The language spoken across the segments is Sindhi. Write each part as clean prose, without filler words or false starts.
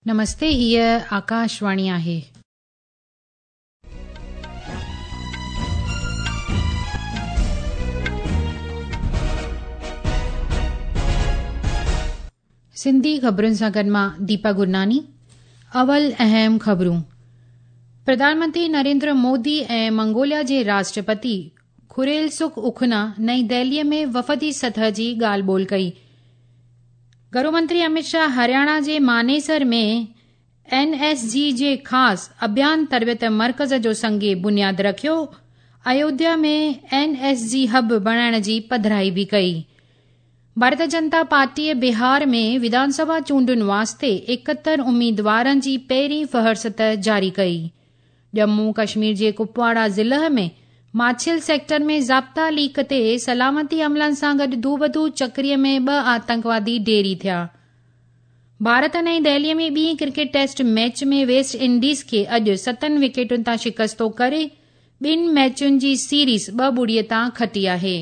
نمستي هيء آڪاشواڻي آهي. سنڌي خبرن سان گڏ مان ديپا گرناني اول اهم خبرون پرڌان منتري نريندر مودي ۽ منگوليا جي راشٽرپتي خريلسک اکنا نئين دهلي ۾ وفدي سطح جي ڳالهه ٻولهه ڪئي. گهرو منتري امت شاهه هرياڻا جي مانيسر ۾ اين ايس جي جي خاص اڀيان تربيت مرڪز جو سنگ بنياد رکيو، ايوڌيا ۾ اين ايس جي هب بڻائڻ جي پڌرائي به ڪئي. ڀارتيه جنتا پارٽيء بهار ۾ وڌان سڀا چونڊن واسطي 71 اميدوارن جي پهرين فهرست جاري ڪئي. ڄمون ڪشمير جي ڪپواڙا ضلع ۾ ماڇل سيڪٽر ۾ ضابطا ليڪ تي سلامتي عملن سان گڏ دوبدو چڪري ۾ ٻه آتنڪوادي ڍيري ٿيا. ڀارت نئين دهلي ۾ ٻي cricket test match ۾ West Indies کي اڄ ستن وڪيٽن تان شڪستو ڪري ٻن ميچن جي سيريز ٻه ٻڙي تان کٽي آهي.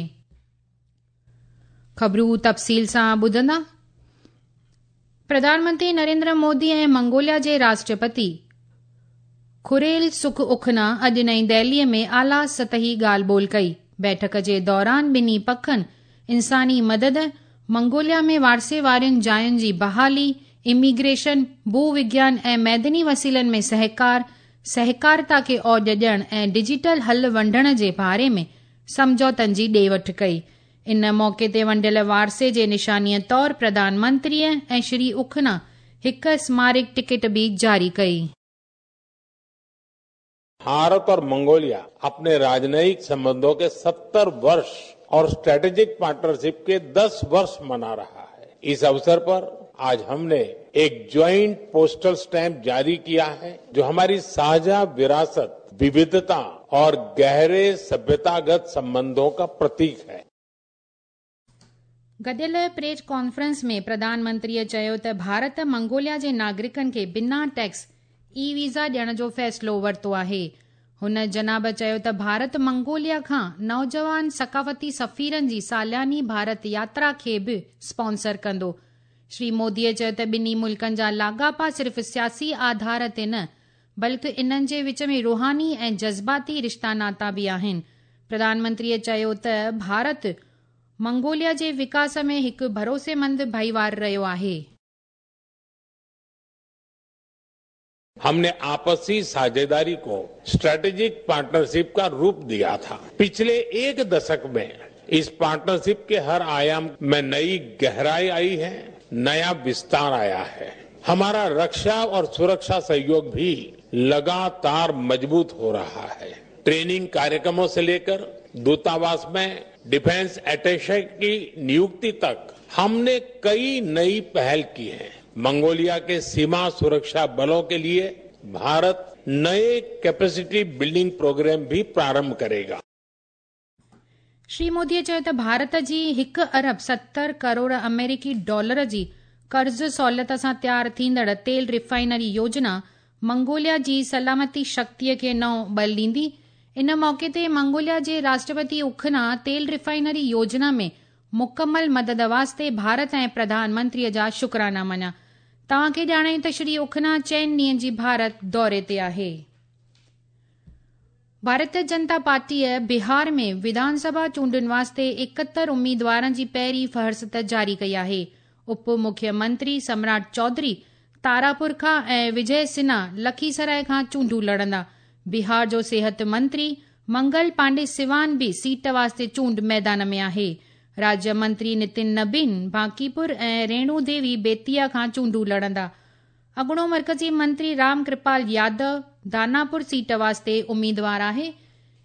خبرون تفصيل سان ٻڌندا. پرڌان منتري نريندر مودي ۽ منگوليا جي راشٽرپتي خريل سک اکنا اڄ نئين دهلي ۾ اعليٰ سطحي ڳالهه ٻولهه ڪئي. بيٺڪ جي دوران ٻنهي پکن انساني مدد، منگوليا ۾ وارثي وارين جاين جي بحالي، اميگريشن، ڀو وگيان ۽ معدني وسيلن ۾ سهڪار، سهڪارتا کي اوڄ ڏيڻ ۽ ڊجيٽل حل ونڊڻ جي باري ۾ سمجهوتن جي ڏي وٺ ڪئي. ان موقعي تي ونڊيل وارثي جي نشانيء طور پرڌان منتريء ۽ شري اکنا هڪ سمارڪ ٽڪيٽ به جاري ڪئي. भारत और मंगोलिया अपने राजनयिक संबंधों के 70 वर्ष और स्ट्रेटेजिक पार्टनरशिप के 10 वर्ष मना रहा है। इस अवसर पर आज हमने एक ज्वाइंट पोस्टल स्टैंप जारी किया है, जो हमारी साझा विरासत, विविधता और गहरे सभ्यतागत संबंधों का प्रतीक है। گڏيل پريس ڪانفرنس ۾ پرڌان منتريء چيو ته ڀارت منگوليا جي ناگرڪن کي بنا ٽيڪس اي ويزا ڏيڻ جو فيصلو ورتو آهي. هن جناب چيو ته ڀارت منگوليا کان نوجوان ثقافتي سفيرن جي سالياني ڀارت ياترا کي به اسپانسر ڪندو. شري موديء چيو ته ٻنهي ملڪن جا لاڳاپا صرف سياسي آڌار تي نه بلڪ انهن جي وچ ۾ روحاني ۽ جذباتي رشتا ناتا به آهن. پرڌان منتريء چيو ته ڀارت منگوليا جي وڪاس ۾ هڪ ڀروسيمند ڀائيوار رهيو آهي. हमने आपसी साझेदारी को स्ट्रेटेजिक पार्टनरशिप का रूप दिया था। पिछले एक दशक में इस पार्टनरशिप के हर आयाम में नई गहराई आई है, नया विस्तार आया है। हमारा रक्षा और सुरक्षा सहयोग भी लगातार मजबूत हो रहा है। ट्रेनिंग कार्यक्रमों से लेकर दूतावास में डिफेंस अटैचे की नियुक्ति तक हमने कई नई पहल की है। मंगोलिया के सीमा सुरक्षा बलों के लिए भारत नए कैपेसिटी बिल्डिंग प्रोग्राम भी प्रारंभ करेगा। شري موديء چيو ته ڀارت جي هڪ ارب 70 ڪروڙ آمريڪي ڊالر جي قرض سهولت سان تيار ٿيندڙ تيل ريفائنري يوجنا منگوليا جي سلامتي شڪتيء کي نئون ٻل ڏيندي. ان موقعي تي منگوليا جي راشٽرپتي اکنا تيل ريفائنري يوجنا ۾ مڪمل مدد واسطي ڀارت ۽ پرڌان منتريء جا شڪرانا مڃيا. توهان کي ڄاڻايون ته شري اکنا چئن ڏينهن جي ڀارت دوري تي آهي. ڀارتيه جنتا پارٽيء بهار ۾ وڌان سڀا چونڊن واسطي 71 اميدوارن جي پهرين فهرست جاري ڪئي آهي. اپ مکيه منتري سمراٽ چوڌري تاراپور کان ۽ وجي سنها لکيسراء کان چونڊون لڙندا. بهار جو صحت منتري منگل پانڊي سوان به سيٽ واسطي چونڊ ميدان ۾ آهي. راجيه منتري نتن نبين بانڪيپور ۽ ريڻو ديوي بيتيا کان چونڊون لڙندا. اڳوڻو مرڪزي منتري رام ڪرپال يادو داناپور سيٽ واسطي اميدوار آهي.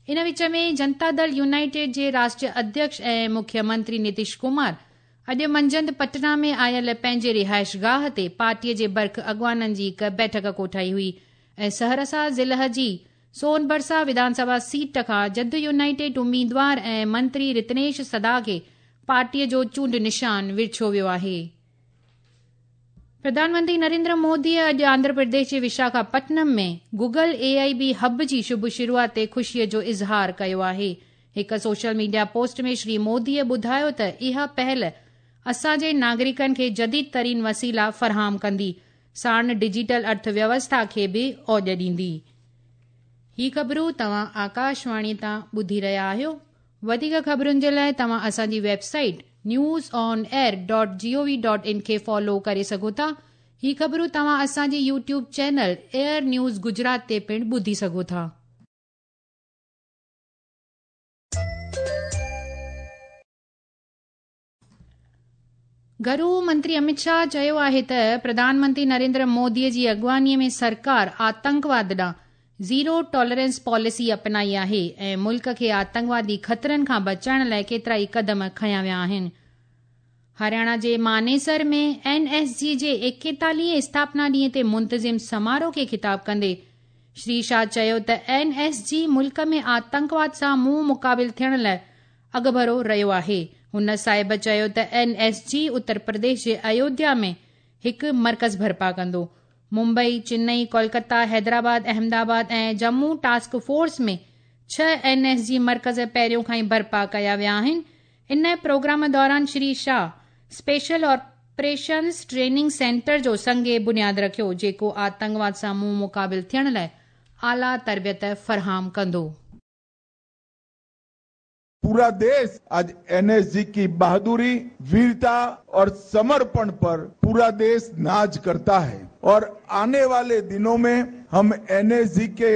ان وچ ۾ جنتا دل يونائيٽيڊ جي راشٽريه اڌيڪش ۽ مکيه منتري نتيش ڪمار اڄ منجهند پٽنا ۾ آيل پنهنجي رهائشگاهه تي پارٽيء جي برک اڳواڻن جي هڪ بيٺڪ ڪوٺائي هئي ۽ سهرسا ضلع جي سون برسا وڌان سڀا سيٽ کان جد يونائيٽيڊ اميدوار ۽ منتري رتنيش سدا کي پارٽيء جو چونڊ نشان ورڇيو ويو آهي. پرڌان منتري نريندر موديء اڄ آنڌرا پرديش جي وشاکاپٽنم ۾ گوگل اي آء بي هب جي شڀ شروعات تي خوشيء جو اظهار ڪيو آهي. هڪ سوشل ميڊيا پوسٽ ۾ شري موديء ٻڌايو ته اها پهل اسان جي ناگرڪن کي جديد ترين وسيلا فراهم ڪندي. ساڻ ڊجيٽل ارٿ ويوسٿا کي به اوڄ ڏيندي. هي خبرون توهان آڪاشواڻي تان ٻڌي رهيا آهيو. وڌيڪ خبرن جي لاء توهان اسان جي website news on air dot G O V dot in کي فالو ڪري سگهو ٿا. هي خبرون توهان اسان جي YouTube channel AIR news Gujarat تي پڻ ٻڌي سگهو ٿا. گهرو منتري امت شاهه چيو آهي ته پرڌان منتري نريندر مودي جي اڳواڻي ۾ سرڪار آتنڪواد ڏانهن زيرو ٽالرنس پاليسي اپنائي آهي ۽ ملڪ کي آتنڪوادي خطرن کان بچائڻ لاء ڪيترائي قدم کنيا ويا آهن. هرياڻا جي مانيسر ۾ اين ايس جي جي ايڪيتاليهين اسٿاپنا ڏينهن تي منتظم سماروهه کي خطاب ڪندي شري شاهه چيو ته اين ايس جي ملڪ ۾ آتنڪواد سان منهن مقابل ٿيڻ لاء اڳڀرو رهيو آهي. هن صاحب چيو ته اين ايس جي اتر پرديش جي ايوڌيا ۾ هڪ مرڪز برپا ڪندو. ممبئي، چنئي، ڪولڪتا، حيدرآباد، احمدآباد ۽ ڄمون ٽاسڪ فورس ۾ ڇهه اين ايس جي مرڪز پهريون کان ئي برپا ڪيا ويا آهن. ان پروگرام دوران Shri Shah special operations training centre جو سنگ بنياد رکيو، جيڪو آتنڪواد سان منهن مقابل ٿيڻ لاء اعليٰ تربيت فراهم ڪندو. पूरा देश आज एनएसजी की बहादुरी, वीरता और समर्पण पर पूरा देश नाज करता है और आने वाले दिनों में हम एनएसजी के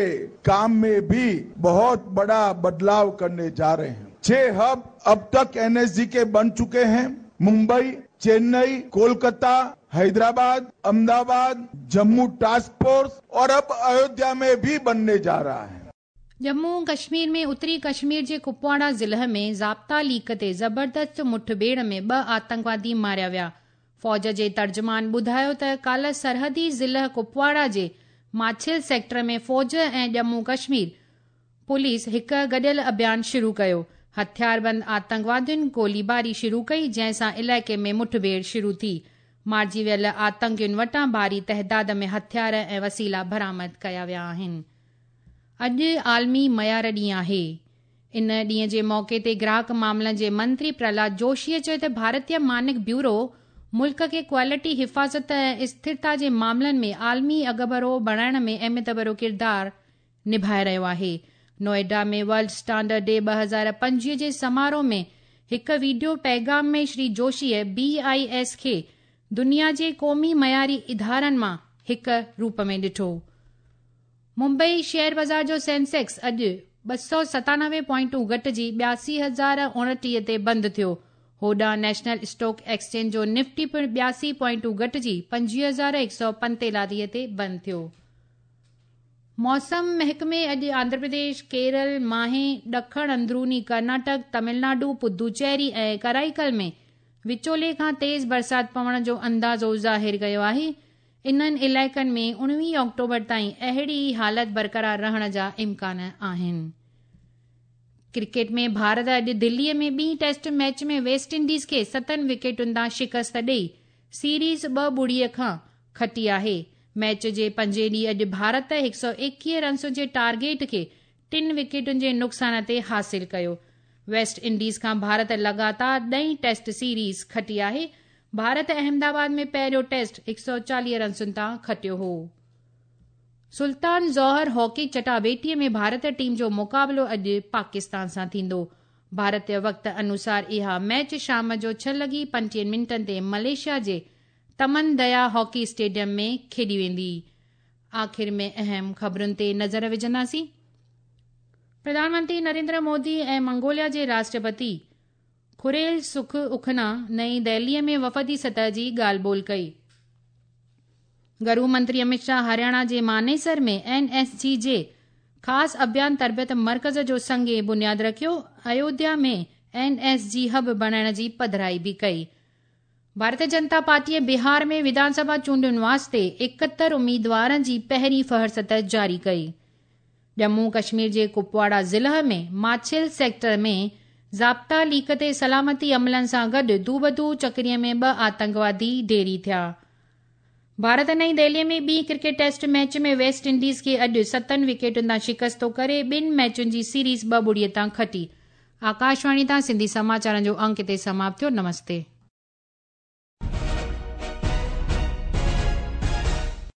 काम में भी बहुत बड़ा बदलाव करने जा रहे हैं। 6 हब अब तक एनएसजी के बन चुके हैं। मुंबई, चेन्नई, कोलकाता, हैदराबाद, अहमदाबाद, जम्मू टास्क फोर्स और अब अयोध्या में भी बनने जा रहा है। ڄمون ڪشمير ۾ اتري ڪشمير جي ڪپواڙا ضلع ۾ ضابطا ليڪ تي زبردست مٺڀيڙ ۾ ٻه آتنڪوادي ماريا ويا. فوج جي ترجمان ٻڌايو ته ڪالهه سرحدي ضلع ڪپواڙا جي ماڇل سيڪٽر ۾ فوج ۽ ڄمون ڪشمير پوليس هڪ گڏيل اڀيان شروع ڪيو. هٿياربند آتنڪوادين گوليباري شروع ڪئي جنهن سان علائقي ۾ مٺڀيڙ شروع ٿي. مارجي ويل آتنڪين وٽان ڀاري تعداد ۾ هٿيار ۽ وسيلا برآمد ڪيا ويا آهن. اڄ عالمي معيار ڏينهن آهي. ان ڏينهن جي موقعي تي گراهڪ معاملن جي منتري پرهلاد جوشيء چيو ته ڀارتي مانڪ بيورو ملڪ کي ڪوالٽي، حفاظت ۽ اسٿرتا جي معاملن ۾ عالمي اڳڀرو بڻائڻ ۾ اهميت ڀريو ڪردار نڀائي رهيو آهي. نوئيڊا ۾ ورلڊ اسٽانڊرڊ ڊي 2025 جي سماروهه ۾ هڪ وڊيو پيغام ۾ شري جوشيء بي I S کي دنيا جي قومي معياري ادارن مان هڪ روپ ۾ ڏٺو. ممبئي شيئر بازار جو سينسيڪس اڄ 297 پوائنٽون گهٽجي 82,029 تي بند ٿيو. هوڏانهن نيشنل اسٽاڪ ايڪسچينج جو نفٽي پڻ 82 پوائنٽون گهٽجي 25,145 تي بند ٿيو. موسم محڪمي اڄ آنڌرا پرديش، ڪيرل، ماهي، ڏکڻ اندروني ڪرناٽڪ، تامل ناڊو، پدوچيري ۽ ڪرائيڪل ۾ وچولي کان تيز برسات پوڻ جو اندازو ظاهر ڪيو آهي. انهن علائقن ۾ 19 آڪٽوبر تائين اهڙي ئي حالت برقرار رهڻ جا امڪان آهن. ڪرڪيٽ ۾ ڀارت اڄ دلي ۾ ٻي ٽيسٽ ميچ ۾ ويسٽ انڊيز کي ستن وڪيٽن تان شڪست ڏئي سيريز 2-0 کان کٽي آهي. ميچ جي پنجين ڏينهن اڄ ڀارت 121 رنسن جي ٽارگيٽ کي ٽن وڪيٽن جي نقصان تي حاصل ڪيو. ويسٽ انڊيز کان ڀارت لڳاتار ڏهين ٽيسٽ سيريز کٽي آهي. ڀارت احمدآباد ۾ پهريون ٽيسٽ 140 رنسن تان کٽيو هو. سلطان جوهر هاڪي چٽاڀيٽي ۾ ڀارت ٽيم جو مقابلو اڄ پاڪستان سان ٿيندو. ڀارتي وقت انوسار اها ميچ شام جو 6:35 تي ملائيشيا جي تمن ديا هاڪي اسٽيڊيم ۾ کيڏي ويندي. آخر ۾ اهم خبرن تي نظر وجهنداسين. پرڌان منتري نريندر مودي ۽ منگوليا جي راشٽرپتي خريل سک اکنا نئين دهلي ۾ وفدي سطح جي ڳالهه ٻولهه ڪئي. گهرو منتري امت شاهه هرياڻا جي مانيسر ۾ اين ايس جي جي خاص اڀيان تربيت مرڪز جو سنگ بنياد رکيو. ايوڌيا ۾ اين ايس جي هب بڻائڻ جي پڌرائي به ڪئي. ڀارتي جنتا پارٽيء بهار ۾ وڌان سڀا چونڊن واسطي 71 اميدوارن جي پهرين فهرست جاري ڪئي. ڄمون ڪشمير جي ڪپواڙا ضلع ۾ ماڇل سيڪٽر ۾ ضابطا ليڪ تي سلامتي عملن سان گڏ دوبدو چڪري ۾ ٻه آتنڪوادي ڍيري ٿيا. ڀارت نئين دهلي ۾ ٻي cricket test match ۾ West Indies کي اڄ ستن وڪيٽن تان شڪست ڪري ٻن ميچن جي سيريز 2-0 تان کٽي. آڪاشواڻي تان سنڌي سماچارن جو انڪ هتي سماپت ٿيو. نمستي.